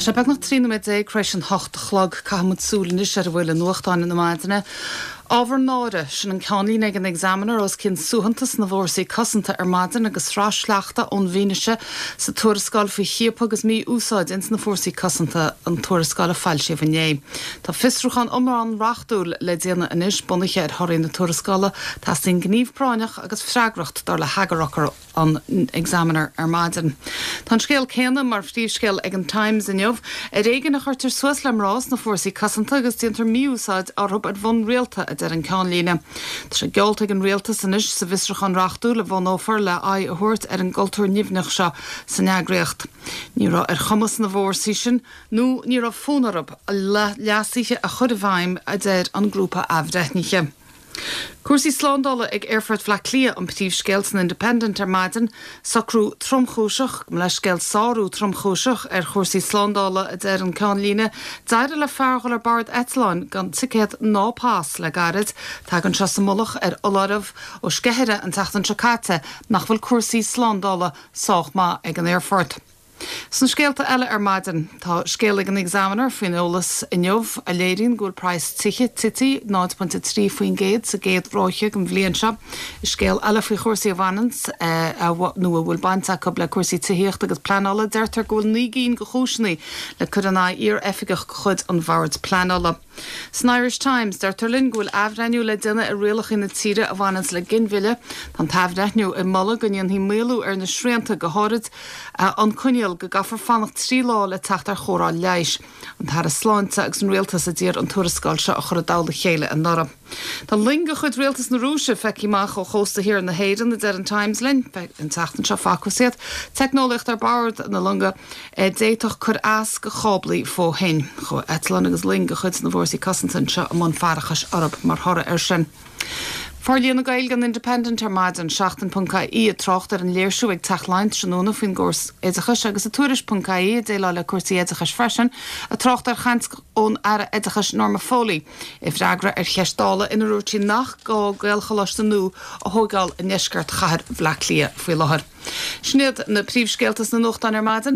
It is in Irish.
Tá sé beagnach 13 nóiméad tar éis an 8 a chlog. Caithfidh muid súil anois ar a bhfuil i nuachtáin na maidine. Ábhar náire, sin an ceannlíne ag an Examiner os cionn suaitheantas na bhfórsaí cosanta ar maidin agus sraith sleachta ón bhfianaise sa tuarascáil faoi chiapadh agus mí-úsáid ins na fórsaí cosanta, an tuarascáil a foilsíodh inné. Tá fiosrúchán iomlán reachtúil le déanamh anois bunaithe ar thorthaí na tuarascála. Teastaíonn gníomh práinneach agus freagracht, dar le heagarfhocal. an Examiner ar maidin. Tá an scéal céanna mar phríomhscéal ag an Times inniu. Ar éigean a chuirtear suas le mná sna fórsaí cosanta agus déantar mí-úsáid orthu ar bhonn rialta, a deir an ceannlíne. Tá sé geallta ag an rialtas anois sa bhfiosrúchán reachtúil a bhunófar le aghaidh a thabhairt ar an gcultúr nimhneach seo san eagraíocht. Ní raibh ar chumas na bhfórsaí sin, nó ní raibh fonn orthu, leasuithe a chur i bhfeidhm, a deir an grúpa athbhreithnithe. Cúrsaí slándála ag Aerfort Bhaile Átha Cliath an príomhscéal san Independent ar maidin. Socrú tromchúiseach, gabh mo leithscéal, sárú tromchúiseach ar chúrsaí slándála, a deir an ceannlíne. D'éirigh le fear dhul ar bord eitleáin gan ticéad ná pas le gairid. Tagann seo sa mullach ar fholáireamh ó sceithire an tseachtain seo caite nach bhfuil cúrsaí slándála sách maith ag an aerfort. Sna scéalta eile ar maidin, tá scéal ag an Examiner faoin eolas inniu a léiríonn go bhfuil praghas tithe tite 0.3% sa gcéad ráithe den bhliain seo. I scéal eile faoi chúrsaí a bhaineanns nó a bhfuil baint acu le cúrsaí tithíochta agus pleanála, deirtear go bhfuil 9 gcinn de chúiseanna le cur in aghaidh iar-oifigeach de chuid an Bhoird Pleanála. San Irish Times, deirtear linn go bhfuil athbhreithniú le déanamh ar rialacha na tíre a bhaineanns le ginmhilleadh. Tá an t-athbhreithniú ag moladh go ndéanfaí maolú ar na srianta, go háirid an coinníoll go gcaithfear fanacht 3 lá le teacht ar chóireáil leighis. An tAire Sláinte agus an Rialtas a d'iarr an tuarascáil seo a chur i dtoll a chéile anuraidh. Tá loing de chuid Rialtas na Rúise feicthe amach ó chósta thiar na hÉireann, a deir an Times linn. An tseachtain seo facthas iad. Teicneolaíocht ar bord na longa. a d'fhéadfadh cur as go cháblaí fo-thoinn. Chuaigh eitleáin agus loing de chuid na bhFórsaí Cosanta anseo i mbun faireachais orthu mar thoradh air sin. Forlíonadh Gaeilge an Independent ar maidin, Seachtain ponc ie ag trácht ar an léirsiú ag Teach Laighean tráthnóna faoin gcóras oideachais agus i Tuairisc ponc ie ag déileáil le cúrsaí oideachais freisin, ag trácht ar chaint ón Aire Oideachais Norma Foley i bhfreagra ar cheist Dála inar dúirt sí nach gá Gaelcholáiste nua a thóigeáil i ndeisceart chathair Bhaile Átha Cliath faoi láthair. Sin iad na príomhscéalta sna nuachtáin ar maidin.